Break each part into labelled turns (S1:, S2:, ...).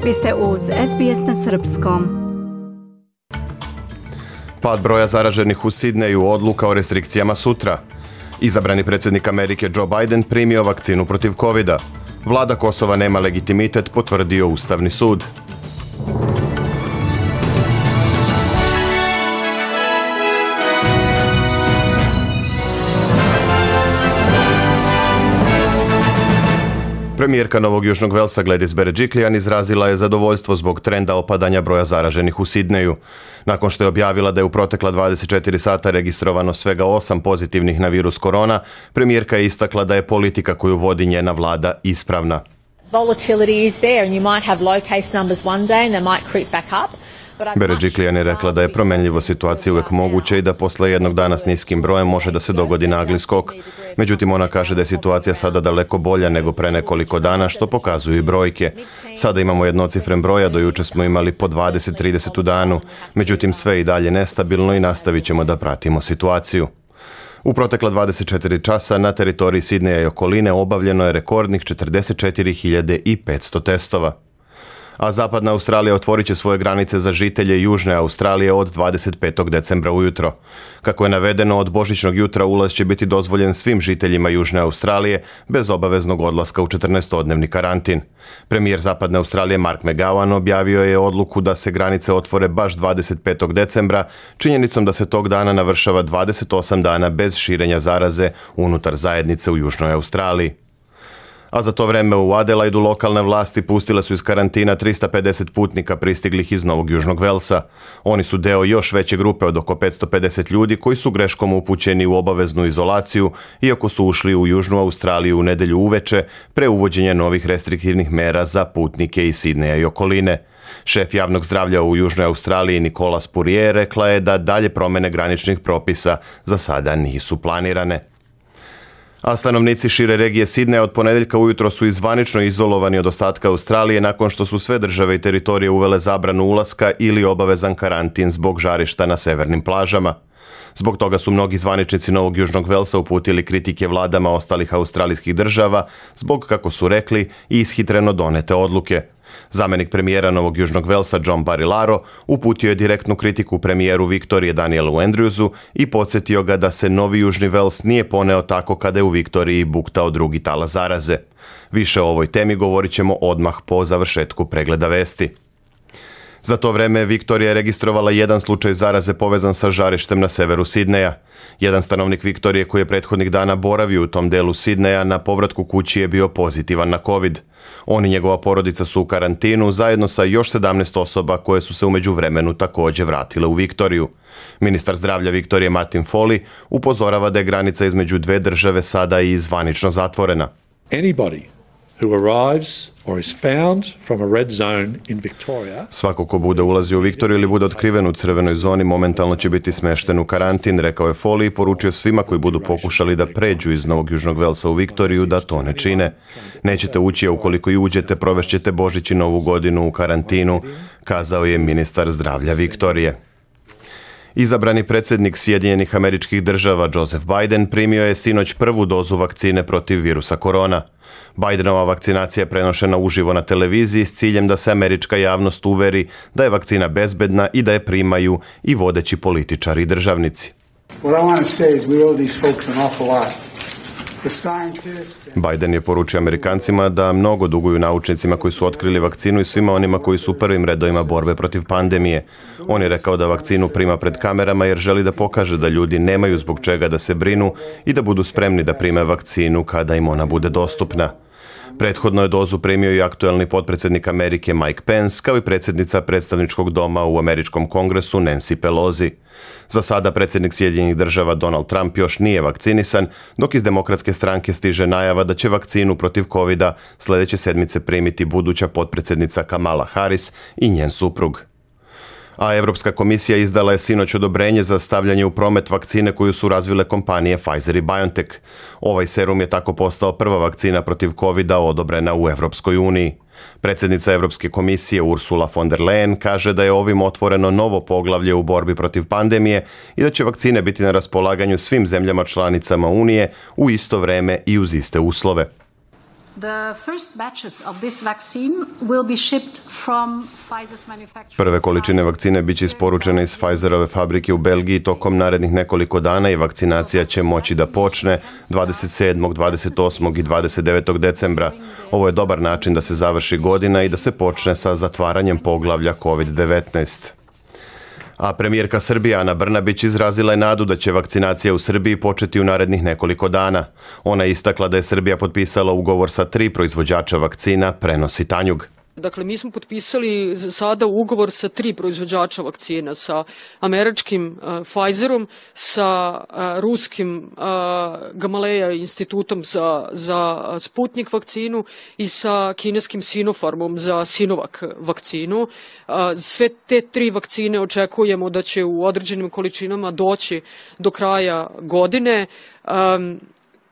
S1: Vi ste uz SBS na srpskom.
S2: Pad broja zaraženih u Sidneju, odluka o restrikcijama sutra. Izabrani predsjednik Amerike Joe Biden primio vakcinu protiv covida. Vlada Kosova nema legitimitet, potvrdio Ustavni sud. Premijerka Novog Južnog Velsa Gladys Berejiklian izrazila je zadovoljstvo zbog trenda opadanja broja zaraženih u Sidneju. Nakon što je objavila da je u protekla 24 sata registrovano svega 8 pozitivnih na virus korona, premijerka je istakla da je politika koju vodi njena vlada ispravna.
S3: Volatility is there and you might have low case numbers one day and they might creep back up.
S2: Berejiklian je rekla da je promenljivo situacije uvijek moguće i da posle jednog dana s niskim brojem može da se dogodi nagli skok. Međutim, ona kaže da je situacija sada daleko bolja nego pre nekoliko dana, što pokazuju i brojke. Sada imamo jednocifren broj, a do juče smo imali po 20-30 u danu. Međutim, sve je i dalje nestabilno i nastavit ćemo da pratimo situaciju. U protekla 24 časa na teritoriji Sidneja i okoline obavljeno je rekordnih 44.500 testova. A zapadna Australija otvorit će svoje granice za žitelje Južne Australije od 25. decembra ujutro. Kako je navedeno, od božićnog jutra ulaz će biti dozvoljen svim žiteljima Južne Australije bez obaveznog odlaska u 14-dnevni karantin. Premijer zapadne Australije Mark McGowan objavio je odluku da se granice otvore baš 25. decembra, činjenicom da se tog dana navršava 28 dana bez širenja zaraze unutar zajednice u Južnoj Australiji. A za to vreme u Adelaidu lokalne vlasti pustile su iz karantina 350 putnika pristiglih iz Novog Južnog Velsa. Oni su deo još veće grupe od oko 550 ljudi koji su greškom upućeni u obaveznu izolaciju, iako su ušli u Južnu Australiju u nedelju uveče pre uvođenja novih restriktivnih mera za putnike iz Sidneja i okoline. Šef javnog zdravlja u Južnoj Australiji Nicola Spurrier rekla je da dalje promjene graničnih propisa za sada nisu planirane. A stanovnici šire regije Sidneja od ponedjeljka ujutro su zvanično izolovani od ostatka Australije nakon što su sve države i teritorije uvele zabranu ulaska ili obavezan karantin zbog žarišta na severnim plažama. Zbog toga su mnogi zvaničnici Novog Južnog Velsa uputili kritike vladama ostalih australijskih država zbog, kako su rekli, ishitreno donete odluke. Zamenik premijera Novog Južnog Velsa John Barilaro uputio je direktnu kritiku premijeru Viktorije Danielu Andrewsu i podsjetio ga da se Novi Južni Vels nije poneo tako kada je u Viktoriji buktao drugi talas zaraze. Više o ovoj temi govorit ćemo odmah po završetku pregleda vesti. Za to vreme Viktorija je registrovala jedan slučaj zaraze povezan sa žarištem na severu Sidneja. Jedan stanovnik Viktorije koji je prethodnih dana boravio u tom delu Sidneja na povratku kući je bio pozitivan na COVID. On i njegova porodica su u karantinu zajedno sa još 17 osoba koje su se u međuvremenu također vratile u Viktoriju. Ministar zdravlja Viktorije Martin Foley upozorava da je granica između dve države sada i zvanično zatvorena. Svako ko bude ulazio u Viktoriju ili bude otkriven u crvenoj zoni momentalno će biti smešten u karantin, rekao je Foley i poručio svima koji budu pokušali da pređu iz Novog Južnog Velsa u Viktoriju da to ne čine. Nećete ući, a ukoliko i uđete, provešćete Božić i Novu godinu u karantinu, kazao je ministar zdravlja Viktorije. Izabrani predsjednik Sjedinjenih Američkih Država Joseph Biden primio je sinoć prvu dozu vakcine protiv virusa korona. Bidenova vakcinacija je prenošena uživo na televiziji s ciljem da se američka javnost uveri da je vakcina bezbedna i da je primaju i vodeći političari i državnici. Biden je poručio Amerikancima da mnogo duguju naučnicima koji su otkrili vakcinu i svima onima koji su u prvim redovima borbe protiv pandemije. On je rekao da vakcinu prima pred kamerama jer želi da pokaže da ljudi nemaju zbog čega da se brinu i da budu spremni da prime vakcinu kada im ona bude dostupna. Prethodno je dozu primio i aktuelni potpredsjednik Amerike Mike Pence, kao i predsjednica predstavničkog doma u američkom kongresu Nancy Pelosi. Za sada predsjednik Sjedinjenih Država Donald Trump još nije vakcinisan, dok iz Demokratske stranke stiže najava da će vakcinu protiv covida sljedeće sedmice primiti buduća potpredsjednica Kamala Harris i njen suprug. A Europska komisija izdala je sinoć odobrenje za stavljanje u promet vakcine koju su razvile kompanije Pfizer i BioNTech. Ovaj serum je tako postao prva vakcina protiv covida odobrena u Europskoj uniji. Predsjednica Europske komisije Ursula von der Leyen kaže da je ovim otvoreno novo poglavlje u borbi protiv pandemije i da će vakcine biti na raspolaganju svim zemljama članicama Unije u isto vreme i uz iste uslove. Prve količine vakcine bit će isporučene iz Pfizerove fabrike u Belgiji tokom narednih nekoliko dana i vakcinacija će moći da počne 27., 28. i 29. decembra. Ovo je dobar način da se završi godina i da se počne sa zatvaranjem poglavlja COVID-19. A premijerka Srbije Ana Brnabić izrazila je nadu da će vakcinacija u Srbiji početi u narednih nekoliko dana. Ona je istakla da je Srbija potpisala ugovor sa 3 proizvođača vakcina, prenosi Tanjug.
S4: Dakle, mi smo potpisali sada ugovor sa 3 proizvođača vakcina, sa američkim Pfizerom, sa ruskim Gamaleya institutom za Sputnik vakcinu i sa kineskim Sinopharmom za Sinovac vakcinu. Sve te 3 vakcine očekujemo da će u određenim količinama doći do kraja godine.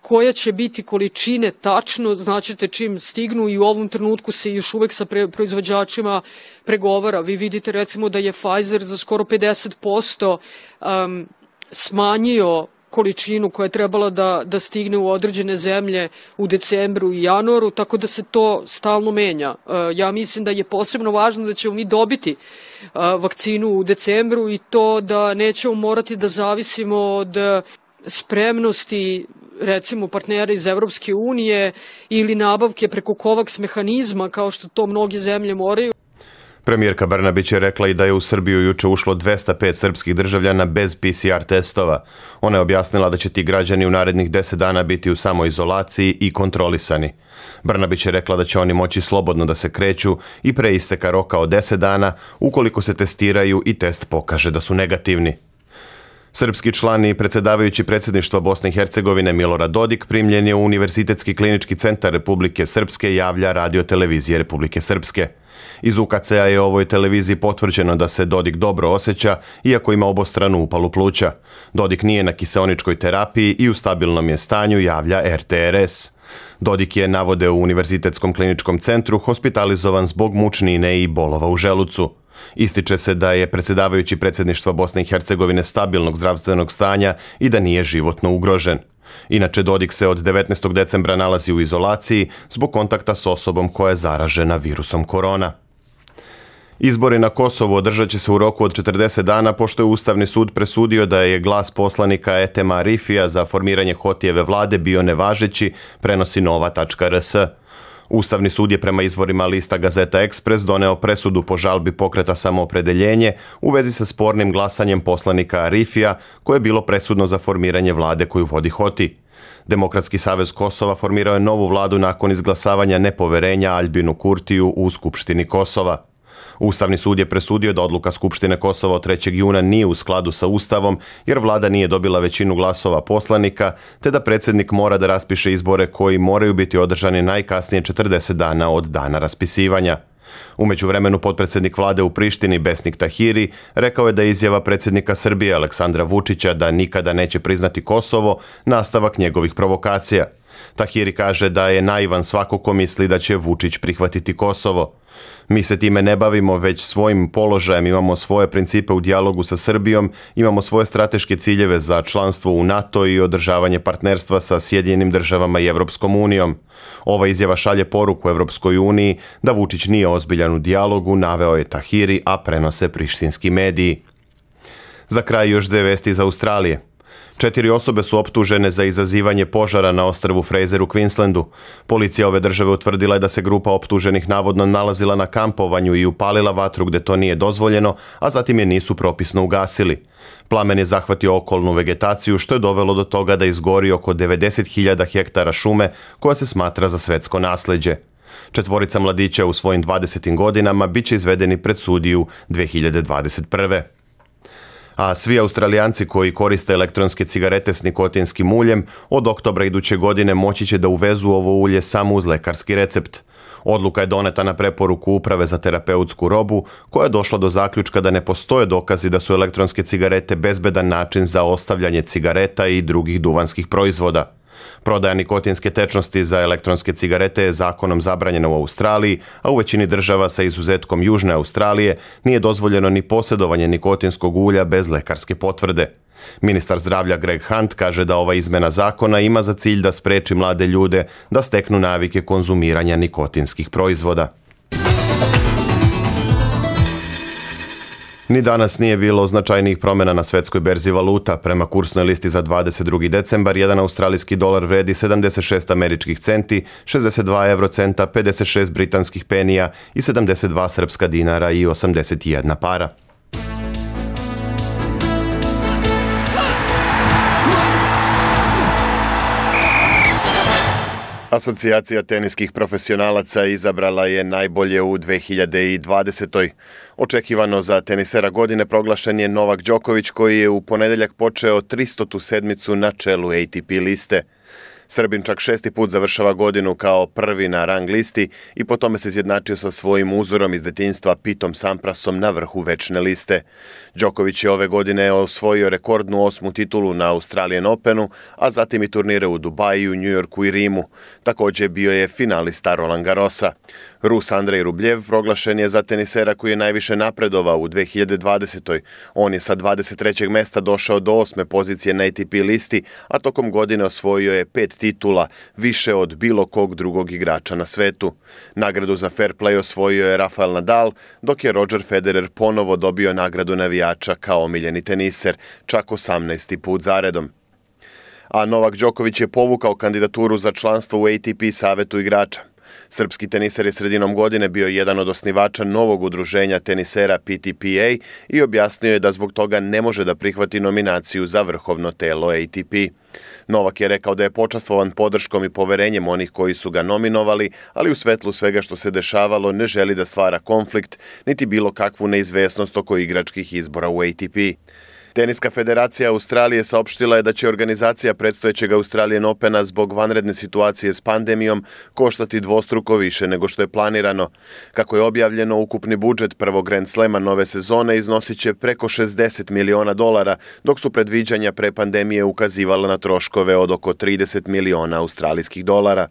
S4: Koja će biti količine tačno, značite čim stignu, i u ovom trenutku se još uvek sa proizvođačima pregovara. Vi vidite recimo da je Pfizer za skoro 50% smanjio količinu koja je trebala da stigne u određene zemlje u decembru i januaru, tako da se to stalno menja. Ja mislim da je posebno važno da ćemo mi dobiti vakcinu u decembru i to da nećemo morati da zavisimo od spremnosti recimo partnera iz Evropske unije ili nabavke preko COVAX mehanizma kao što to mnoge zemlje moraju.
S2: Premijerka Brnabić je rekla i da je u Srbiju juče ušlo 205 srpskih državljana bez PCR testova. Ona je objasnila da će ti građani u narednih 10 dana biti u samoizolaciji i kontrolisani. Brnabić je rekla da će oni moći slobodno da se kreću i pre isteka roka od 10 dana ukoliko se testiraju i test pokaže da su negativni. Srpski član i predsjedavajući predsjedništva Bosne i Hercegovine Milorad Dodik primljen je u Univerzitetski klinički centar Republike Srpske, javlja Radio televizije Republike Srpske. Iz UKC-a je ovoj televiziji potvrđeno da se Dodik dobro osjeća, iako ima obostranu upalu pluća. Dodik nije na kiseoničkoj terapiji i u stabilnom je stanju, javlja RTRS. Dodik je, navode u Univerzitetskom kliničkom centru, hospitalizovan zbog mučnine i bolova u želucu. Ističe se da je predsjedavajući predsjedništva Bosne i Hercegovine stabilnog zdravstvenog stanja i da nije životno ugrožen. Inače, Dodik se od 19. decembra nalazi u izolaciji zbog kontakta s osobom koja je zaražena virusom korona. Izbori na Kosovu održat će se u roku od 40 dana pošto je Ustavni sud presudio da je glas poslanika Etema Arifija za formiranje Hotijeve vlade bio nevažeći, prenosi nova.rs. Ustavni sud je prema izvorima lista Gazeta Ekspres doneo presudu po žalbi pokreta Samoopredeljenje u vezi sa spornim glasanjem poslanika Arifija, koje je bilo presudno za formiranje vlade koju vodi Hoti. Demokratski savez Kosova formirao je novu vladu nakon izglasavanja nepoverenja Aljbinu Kurtiju u Skupštini Kosova. Ustavni sud je presudio da odluka Skupštine Kosova od 3. juna nije u skladu sa Ustavom jer vlada nije dobila većinu glasova poslanika, te da predsjednik mora da raspiše izbore koji moraju biti održani najkasnije 40 dana od dana raspisivanja. U međuvremenu potpredsjednik vlade u Prištini Besnik Tahiri rekao je da je izjava predsjednika Srbije Aleksandra Vučića da nikada neće priznati Kosovo nastavak njegovih provokacija. Tahiri kaže da je naivan svako ko misli da će Vučić prihvatiti Kosovo. Mi se time ne bavimo, već svojim položajem, imamo svoje principe u dijalogu sa Srbijom, imamo svoje strateške ciljeve za članstvo u NATO i održavanje partnerstva sa Sjedinjenim državama i Evropskom unijom. Ova izjava šalje poruku Evropskoj uniji da Vučić nije ozbiljan u dijalogu, naveo je Tahiri, a prenose prištinski mediji. Za kraj još 2 vesti iz Australije. 4 osobe su optužene za izazivanje požara na ostrvu Fraser u Queenslandu. Policija ove države utvrdila je da se grupa optuženih navodno nalazila na kampovanju i upalila vatru gde to nije dozvoljeno, a zatim je nisu propisno ugasili. Plamen je zahvatio okolnu vegetaciju, što je dovelo do toga da izgori oko 90.000 hektara šume koja se smatra za svetsko nasleđe. 4 mladića u svojim 20. godinama bit će izvedeni pred sudiju 2021. A svi Australijanci koji koriste elektronske cigarete s nikotinskim uljem od oktobra iduće godine moći će da uvezu ovo ulje samo uz lekarski recept. Odluka je doneta na preporuku Uprave za terapeutsku robu, koja je došla do zaključka da ne postoje dokazi da su elektronske cigarete bezbedan način za ostavljanje cigareta i drugih duvanskih proizvoda. Prodaja nikotinske tečnosti za elektronske cigarete je zakonom zabranjena u Australiji, a u većini država sa izuzetkom Južne Australije nije dozvoljeno ni posjedovanje nikotinskog ulja bez lekarske potvrde. Ministar zdravlja Greg Hunt kaže da ova izmena zakona ima za cilj da spreči mlade ljude da steknu navike konzumiranja nikotinskih proizvoda. Ni danas nije bilo značajnijih promjena na svetskoj berzi valuta. Prema kursnoj listi za 22. decembar, jedan australijski dolar vredi 76 američkih centi, 62 eurocenta, 56 britanskih penija i 72 srpska dinara i 81 para. Asocijacija teniskih profesionalaca izabrala je najbolje u 2020. Očekivano za tenisera godine proglašen je Novak Đoković, koji je u ponedeljak počeo 300. sedmicu na čelu ATP liste. Srbin čak 6. put završava godinu kao prvi na rang listi i po tome se izjednačio sa svojim uzorom iz detinjstva Pitom Samprasom na vrhu večne liste. Đoković je ove godine osvojio rekordnu 8. titulu na Australian Openu, a zatim i turnire u Dubaju, Njujorku i Rimu. Također bio je finalista Roland Garrosa. Rus Andrej Rubljev proglašen je za tenisera koji je najviše napredovao u 2020. On je sa 23. mesta došao do 8. pozicije na ATP listi, a tokom godine osvojio je 5 titula, više od bilo kog drugog igrača na svetu. Nagradu za fair play osvojio je Rafael Nadal, dok je Roger Federer ponovo dobio nagradu navijača kao omiljeni teniser, čak 18. put zaredom. A Novak Đoković je povukao kandidaturu za članstvo u ATP savetu igrača. Srpski teniser je sredinom godine bio jedan od osnivača novog udruženja tenisera PTPA i objasnio je da zbog toga ne može da prihvati nominaciju za vrhovno telo ATP. Novak je rekao da je počastvovan podrškom i poverenjem onih koji su ga nominovali, ali u svetlu svega što se dešavalo ne želi da stvara konflikt, niti bilo kakvu neizvesnost oko igračkih izbora u ATP. Teniska federacija Australije saopštila je da će organizacija predstojećeg Australian Opena zbog vanredne situacije s pandemijom koštati dvostruko više nego što je planirano. Kako je objavljeno, ukupni budžet prvog Grand Slema nove sezone iznosit će preko $60 miliona, dok su predviđanja pre pandemije ukazivala na troškove od oko $30 miliona australijskih dolara.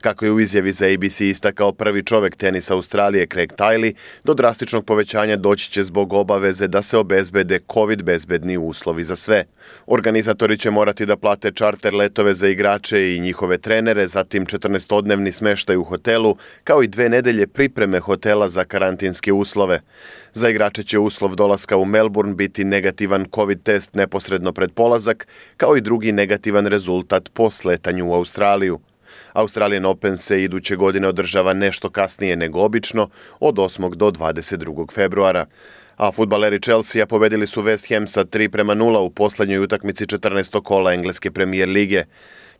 S2: Kako je u izjavi za ABC istakao prvi čovjek tenisa Australije Craig Tiley, do drastičnog povećanja doći će zbog obaveze da se obezbede COVID bezbedni uslovi za sve. Organizatori će morati da plate čarter letove za igrače i njihove trenere, zatim 14-dnevni smeštaj u hotelu, kao i 2 nedelje pripreme hotela za karantinske uslove. Za igrače će uslov dolaska u Melbourne biti negativan COVID test neposredno pred polazak, kao i drugi negativan rezultat po sletanju u Australiju. Australian Open se iduće godine održava nešto kasnije nego obično, od 8. do 22. februara. A fudbaleri Chelsea pobedili su West Ham sa 3-0 u posljednjoj utakmici 14. kola engleske premijer lige.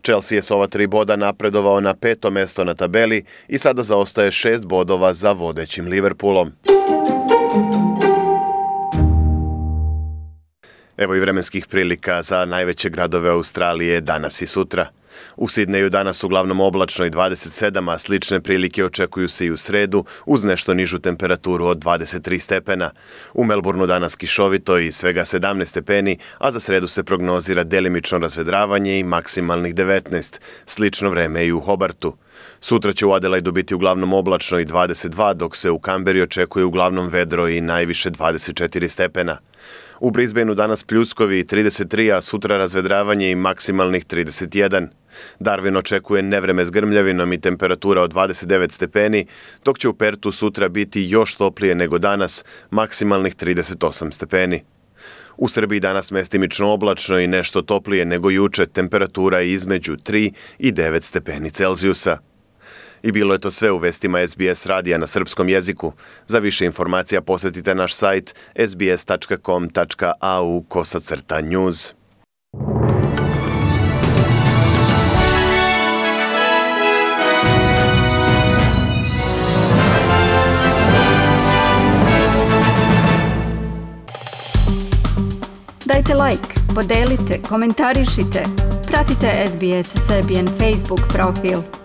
S2: Chelsea je s ova 3 boda napredovao na 5. mesto na tabeli i sada zaostaje 6 bodova za vodećim Liverpoolom. Evo i vremenskih prilika za najveće gradove Australije danas i sutra. U Sidneju danas uglavnom oblačno i 27, a slične prilike očekuju se i u sredu uz nešto nižu temperaturu od 23 stepena. U Melbourneu danas kišovito i svega 17 stepeni, a za sredu se prognozira delimično razvedravanje i maksimalnih 19. Slično vreme i u Hobartu. Sutra će u Adelaidu biti uglavnom oblačno i 22, dok se u Kamberi očekuje uglavnom vedro i najviše 24 stepena. U Brisbaneu danas pljuskovi i 33, a sutra razvedravanje i maksimalnih 31. Darwin očekuje nevreme s grmljavinom i temperatura od 29 stepeni, dok će u Pertu sutra biti još toplije nego danas, maksimalnih 38 stepeni. U Srbiji danas mestimično oblačno i nešto toplije nego juče, temperatura između 3 i 9 stepeni Celzijusa. I bilo je to sve u vestima SBS radija na srpskom jeziku. Za više informacija posjetite naš sajt sbs.com.au/news.
S1: Dajte like, podelite, komentarišite. Pratite SBS Serbian Facebook profil.